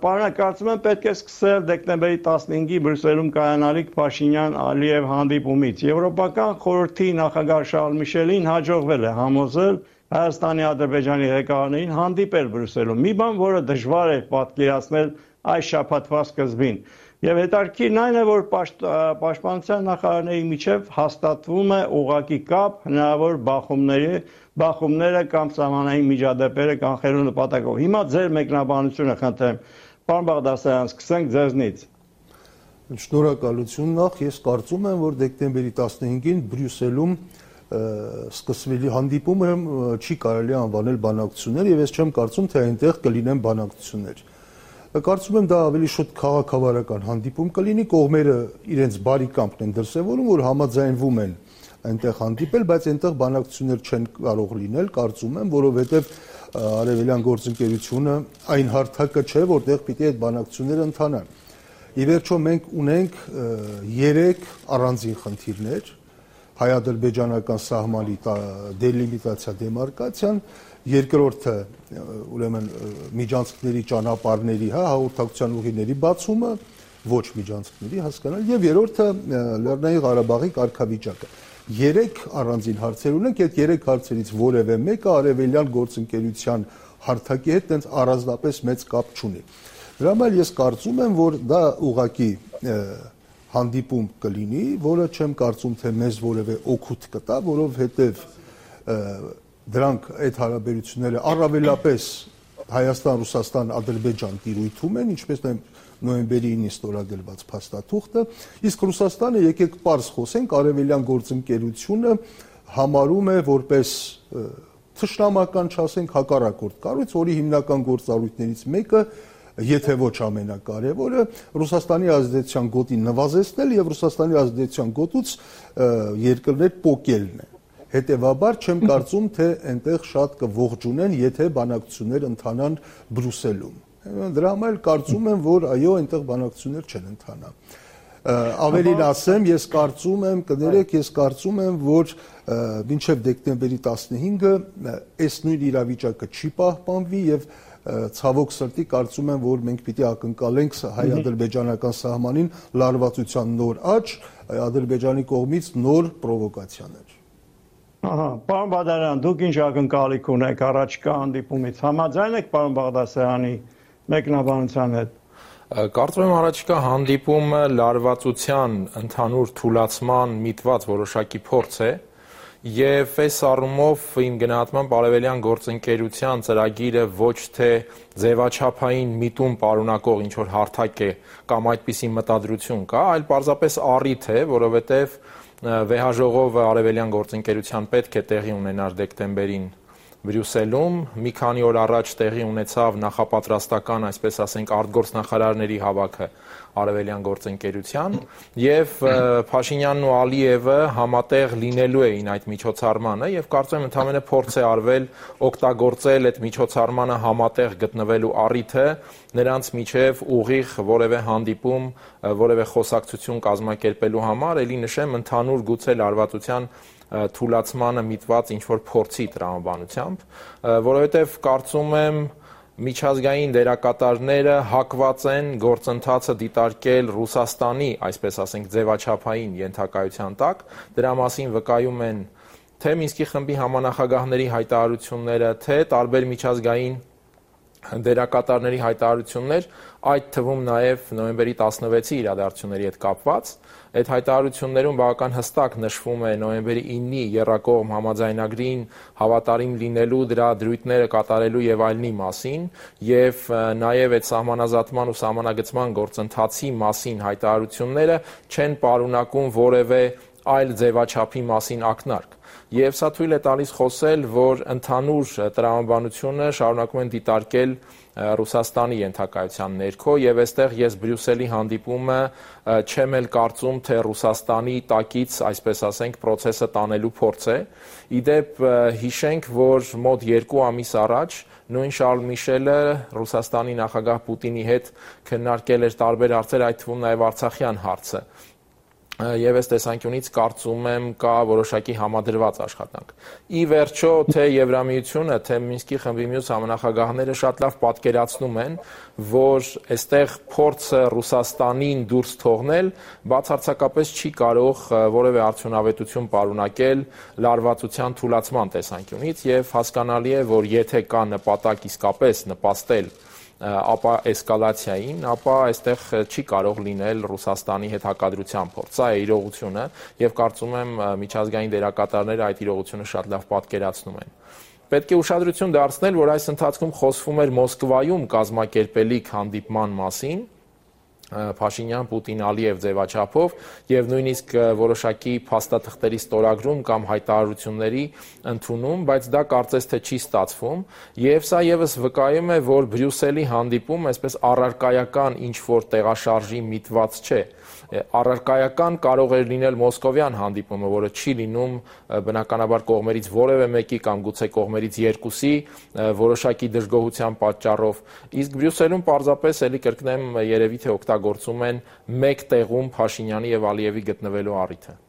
Պարոն, կարծում եմ պետք է սկսել դեկտեմբերի 15-ի Բրյուսելում կայանալիք Փաշինյան-Ալիև հանդիպումից։ Եվրոպական խորհրդի նախագահ Շարլ Միշելին հաջողվել է համոզել Հայաստանի, Ադրբեջանի ղեկավարներին հանդիպել Բրյուսելում։ Մի բան, որը դժվար է պատկերացնել այս շաբաթվա սկզբին։ Եվ հետաքրքիրն այն է, որ պաշտպանության նախարարների միջև հաստատվում է ուղղակի կապ հնարավոր բախումները կամ սահմանային միջադեպերը կանխելու նպատակով։ Հիմա ձեր մեկնաբանությունը խնդրեմ։ Պարոն Բաղդասարյան, սկսենք ձեզնից։ Շնորհակալություն նախ, ես կարծում եմ, որ դեկտեմբերի 15-ին Բրյուսելում սկսվելի հանդիպումը չի կարելի անվանել բանակցություններ եւ ես չեմ կարծում, թե այնտեղ կլինեն բանակցություններ։ Կարծում եմ դա ավելի շուտ քաղաքավարական հանդիպում կլինի, կողմերը իրենց բարի կամքն են դրսևորում, որ համաձայնվում են այնտեղ հանդիպել, բայց այնտեղ բանակցություններ չեն կարող լինել, կարծում եմ, որովհետև արևելյան գործընկերությունը այն հարթակը չէ, որտեղ պիտի այդ բանակցությունները ընթանան։ Ի վերջո մենք ունենք 3 առանձին խնդիրներ՝ հայ-ադրբեջանական սահմանի դելիմիտացիա, դեմարկացիան, երկրորդը ուրեմն միջանցքների ճանապարհների, հաղորդակցության ուղիների բացումը, ոչ միջանցքների հասկանալ, եւ երրորդը Լեռնային Ղարաբաղի կարգավիճակը։ 3 առանձին հարցեր ունենք, այդ 3 հարցերից որևէ մեկը արևելյան գործընկերության հարթակի հետ տենց առանձնապես մեծ կապ չունի։ Դրա համար ես կարծում եմ, որ դա ուղղակի հանդիպում կլինի, որը չեմ կարծում, թե մեզ որևէ օգուտ կտա, որովհետև դրանք այդ հարաբերությունները առավելապես Հայաստան-Ռուսաստան-Ադրբեջան տիրույթում են, ինչպես նոյեմբերի 9-ին ստորագրված փաստաթուղթը, իսկ Ռուսաստանը եկեք պարզ խոսենք, արևելյան գործընկերությունը համարում է որպես թշնամական, չասենք, հակառակորդ կառույց, որի հիմնական գործառույթներից մեկը, եթե ոչ ամենակարևորը, Ռուսաստանի ազդեցության գոտի նվազեցնել եւ Ռուսաստանի ազդեցության գոտուց երկրներ պոկելն է։ Հետևաբար չեմ կարծում, թե այնտեղ շատ կողջունեն, եթե բանակցություններ ընթանան Բրյուսելում։ Դրա համար կարծում եմ, որ այո, այնտեղ բանակցություններ չեն ընթանա։ Ավելին ասեմ, ես կարծում եմ, կներեք, ես կարծում եմ, որ մինչև դեկտեմբերի 15-ը այս նույն իրավիճակը չի պահպանվի եւ ցավոք սրտի կարծում եմ, որ մենք պիտի ակնկալենք հայ-ադրբեջանական սահմանին լարվածության նոր աճ, Ադրբեջանի կողմից նոր պրովոկացիաներ։ Պարոն Բադարյան, դուք ինչ ակնկալիք ունեք առաջկա հանդիպումից, համաձայն եք պարոն Բաղդասարյանի մեկնաբանության հետ։ Կարծում եմ առաջկա հանդիպումը լարվածության ընդհանուր թուլացման միտված որոշակի փորձ է եւ այս առումով իմ գնահատմամբ արևելյան գործընկերության ծրագիրը ոչ թե ձևաչափային միտում պարունակող ինչ որ հարթակ է կամ այդպիսի մտադրություն կա, այլ պարզապես առիթ է, որովհետեւ վեհաժողովը արևելյան գործընկերության պետք է տեղի ունենար դեկտեմբերին Բրյուսելում, մի քանի օր առաջ տեղի ունեցավ նախապատրաստական, այսպես ասենք, արտգործնախարարների հավաքը արևելյան գործընկերության եւ Փաշինյանն ու Ալիևը համատեղ լինելու էին այդ միջոցառմանը եւ կարծում եմ ընդհանրապես փորձ է արվել օգտագործել այդ միջոցառմանը համատեղ գտնվելու առիթը նրանց միջև ուղիղ որևէ հանդիպում, որևէ խոսակցություն կազմակերպելու համար, ելի նշեմ ընդհանուր գուցե լարվածության թուլացմանը միտված ինչ-որ փորձի տրամաբանությամբ, որովհետև կարծում եմ միջազգային դերակատարները հակված են գործընթացը դիտարկել Ռուսաստանի, այսպես ասենք, ձևաչափային ենթակայության տակ, դրա մասին վկայում են թե Մինսկի խմբի համանախագահների հայտարարությունները, թե տարբեր միջազգային դերակատարների հայտարարություններ, այդ թվում նաև նոյեմբերի 16-ի իրադարձությունների հետ կապված, այդ հայտարարություններում բավական հստակ նշվում է նոյեմբերի 9-ի եռակողմ համաձայնագրին հավատարիմ լինելու, դրա դրույթները կատարելու եւ այլնի մասին եւ նաեւ այդ սահմանազատման ու սահմանագծման գործընթացի մասին հայտարարությունները չեն պարունակում որևէ այլ ձևաչափի մասին ակնարկ։ Եվ սա թույլ է տալիս խոսել, որ ընդհանուր տրամաբանությունը շարունակում են դիտարկել Ռուսաստանի ենթակայության ներքո եւ այստեղ ես Բրյուսելի հանդիպումը չեմ էլ կարծում, թե Ռուսաստանի տակից, այսպես ասենք, process-ը տանելու փորձ է։ Իդեպ հիշենք, որ մոտ 2 ամիս առաջ նույն Շարլ Միշելը Ռուսաստանի նախագահ Պուտինի հետ քննարկել էր տարբեր հարցեր, այդ թվում նաեւ Արցախյան հարցը։ Եվ այս տեսանկյունից կարծում եմ կա որոշակի համադրված աշխատանք։ Ի վերջո, թե Եվրամիությունը, թե Մինսկի խմբի մյուս համանախագահները շատ լավ պատկերացնում են, որ այստեղ փորձը Ռուսաստանին դուրս թողնել բացարձակապես չի կարող որևէ արդյունավետություն պարունակել լարվածության թուլացման տեսանկյունից եւ հասկանալի է, որ եթե կա նպատակ իսկապես նպաստել ապա էսկալացիային, ապա այստեղ չի կարող լինել Ռուսաստանի հետ հակադրության փորձ։ Սա է իրողությունը եւ կարծում եմ միջազգային դերակատարները այդ իրողությունը շատ լավ պատկերացնում են։ Պետք է ուշադրություն դարձնել, որ այս ընթացքում խոսվում էր Մոսկվայում կազմակերպելիք հանդիպման մասին, Փաշինյան-Պուտին-Ալիև ձևաչափով եւ նույնիսկ որոշակի փաստաթղթերի ստորագրում կամ հայտարարությունների ընդունում, բայց դա կարծես թե չի ստացվում եւ սա եւս վկայում է, որ Բրյուսելի հանդիպում այսպես առարկայական ինչ որ տեղաշարժի միտված չէ։ Առարկայական կարող էր լինել մոսկովյան հանդիպումը, որը չի լինում բնականաբար կողմերից որևէ մեկի կամ գուցե կողմերից երկուսի որոշակի դժգոհության պատճառով, իսկ Բրյուսելում պարզապես էլի կրկնեմ երևի թե օգտագործում են մեկ տեղում Փաշինյանի եւ Ալիևի գտնվելու առիթը։